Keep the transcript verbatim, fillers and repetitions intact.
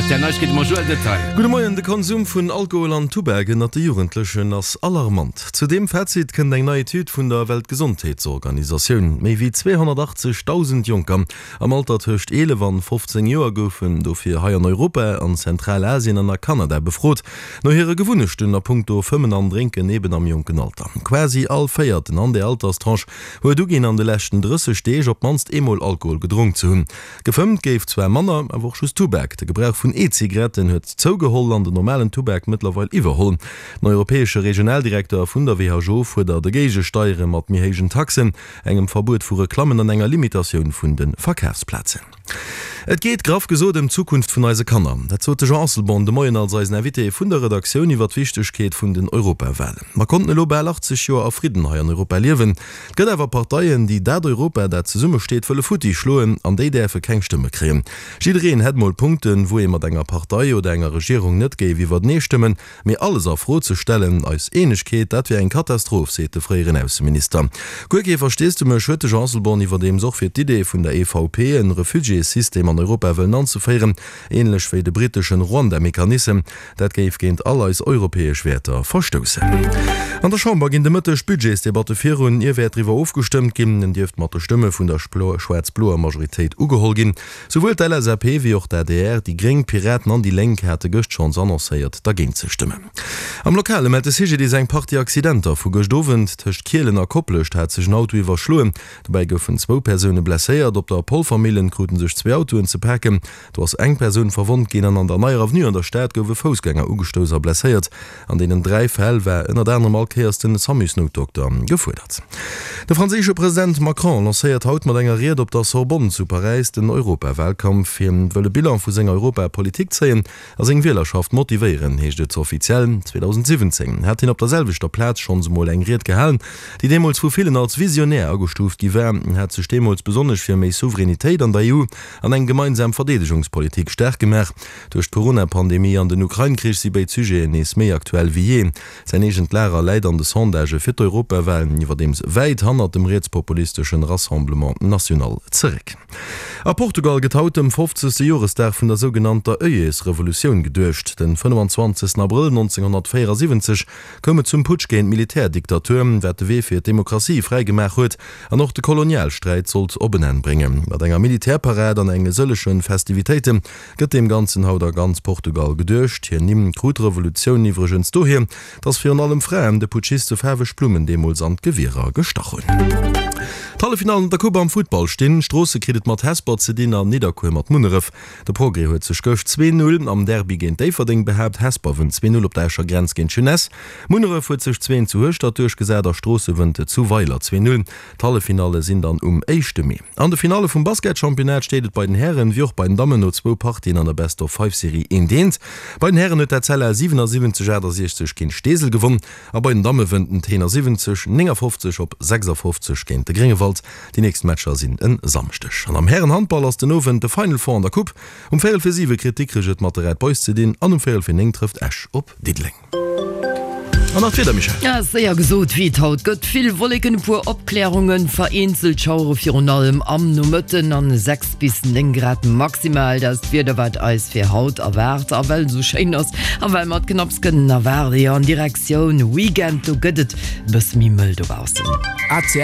R T L Neiegkeete mam Joël Detail. Gudde Moien, De Konsum vun Alkohol an Tubak ënnert de Jugendlechen ass alarmant. Zu deem Fazit kënnt eng nei Etüd vun der Weltgesondheetsorganisatioun. Méi wéi zweehonnertachtzegdausend Jonker am Alter tëscht eelef an fofzéng Joer goufen dofir hei an Europa, an Zentralasien an a Kanada befrot no hire Gewunnechten a punkto Fëmmen an Drénken eben am jonken Alter. Quasi all Véierten an där Alterstranche huet uginn, an de leschten drësseg Deeg op d'mannst eemol Alkohol gedronk ze hunn. Gefëmmt géif zwar manner, awer och just Tubak. De Gebrauch vun E-Zigaretten huet zougeholl an den normalen Tubak mëttlerweil iwwerholl. Den europäesche Regionaldirekter vun der W H O fuerdert e Géigesteiere mat méi héijen Taxen, engem Verbuet vu Reklammen an enger Limitatioun vun de Verkafsplazen. Et geet graff gesot ëm d'Zukunft vun eise Kanner. Dat sot de Jean Asselborn de Moien als eisen Invité vun der Redaktioun iwwer d'Wichtegkeet vun den Europawalen. Mer konnten elo bal achtzeg Joer a Fridden hei an Europa liewen. Et gëtt awer Parteien, déi dat Europa, dat zesummesteet, wëlle futti schloen, an déi däerfe keng Stëmme kréien. Jiddereen hätt mol Punkten, wou ee mat enger Partei oder enger Regierung net géif iwwertenee stëmmen, mee alles a Fro ze stellen, eis Eenegkeet, dat wier eng Katastroph, seet de fréieren Ausseminister. Guer kee Versteesdemech huet de Jean Asselborn iwwerdeems och fir d'Idee vun der E V P, en Refugiéssystem an Europa wëllen anzeféieren, ähnlech wéi de briteschen Rwanda-Mechanissem. Dat géif géint all eis europäesch Wäerter verstoussen. An der Chamber ginn de Mëtteg d'Budgetsdebatte virun. Ier wäert driwwer ofgestëmmt ginn. En dierft mat de Stëmme vun der schwaarz-bloer Majoritéit ugeholl ginn. Souwuel d'L S A P wéi och d'A D R, déi Gréng, d'Piraten an déi Lénk hate gëscht schonns annoncéiert, dergéint ze stëmmen. Am Lokale mellt de C G D I S eng Partie Accidenter vu gëscht Owend. Tëscht Kielen a Koplescht hat sech en Auto iwwerschloen. Dobäi goufen zwou Persoune blesséiert. Op der Polvermillen krute sech zwee Autoen ze paken. Do ass eng Persoun verwonnt ginn an an der Neier Avenue an der Stad gouf e Foussgänger ugestouss a blesséiert. An deenen dräi Fäll war ënnert anerem all Kéiers den Samusnoutdokter gefuerdert. De franséische President Macron lancéiert haut mat enger Ried op der Sorbonne zu Paräis den Europawalkampf. Hien wëll e Bilan vu senger Europapolitik zéien a seng Wielerschaft motivéieren, heescht et offiziell. zweedausendsiwwenzéng hat hien op der selwechter Plaz schonns emol eng Ried gehalen, déi deemools vu villen als visionär agestuuft gi war. Hien hat sech deemools besonnesch fir méi Souveränitéit an der E U an eng gemeinsam Verdeedegungspolitik staark gemaach. Duerch d'Corona-Pandemie an den Ukrain-Krich si béid Sujeten nees méi aktuell wéi jee. Säin eegent Lager läit an de Sondagë fir d'Europawalen iwwerdeems wäit hannert dem rietspopulisteschen Rassemblement National zeréck. A Portugal gëtt haut dem fofzegste Joresdag vun der sougenannter Œillets-Revolutioun geduecht. Den fënnefenzwanzegsten Abrëll nonzénghonnertvéierasiwwenzeg koum et zum Putsch géint d'Militärdiktatur, wat de Wee fir d'Demokratie fräigemaach huet an och de Kolonialsträit sollt op en Enn bréngen. Mat enger Militärparad an enge sëllege Festivitéite gëtt deem Ganzen haut a ganz Portugal geduecht. Hir Nimm krut d'Revolutioun iwwregens dohier, dass virun allem Fraen de Putschiste faarweg Blummen deemools an d'Gewierer gestach hunn. D'Halleffinallen an der Coupe am Futtball stinn. Stroossen kritt et mat Hesper ze dinn an Nidderkuer mat Munneref. De Progrès huet sech gëscht zwee Null am Derby géint Déifferdeng behaapt. Hesper wënnt zwee Null op der Escher Grenz géint d'Jeunesse. Munneref huet sech zwee Eent zu Hueschtert duerchgesat a Stroosse wënnt zu Weiler zwee Null. D'Halleffinalle sinn dann um éischte Mee. An de Finalle vum Basketchampionnat steet et bei den Hären wéi och bei den Dammen no zwou Partien an der Best-of-Five-Serie eent eent. Bei den Hären huet d'Etzella siwenersiwwenzeg achtasiechzeg géint Steesel gewonn a bei den Damme wënnt den Tenor siwwenzeg néngafofzeg op sechsafofzeg géint de Gréngewald. Déi nächst Matcher sinn en Samschdeg. An am Härenhandball ass den Owend de Final Four an der Coupe. Um Véierel fir siwe kritt Dikrech et mat de Red Boys ze dinn an um Véierel fir néng trëfft Esch op Diddeleng. An nach d'Wieder, Michèle. Ja, séier gesot, wéi et haut gëtt, vill Wolleken, e puer Opklärungen, vereenzelt Schauere virun allem am Nomëtten an sechs bis néng Grad maximal. Dat ass d'Wieder, wat eis fir haut erwaart. A well et esou schéin ass a well mer et knapps kënnen erwaarden, jo, an Direktioun Weekend, do gëtt et e bësse méi mëll dobaussen. A C L.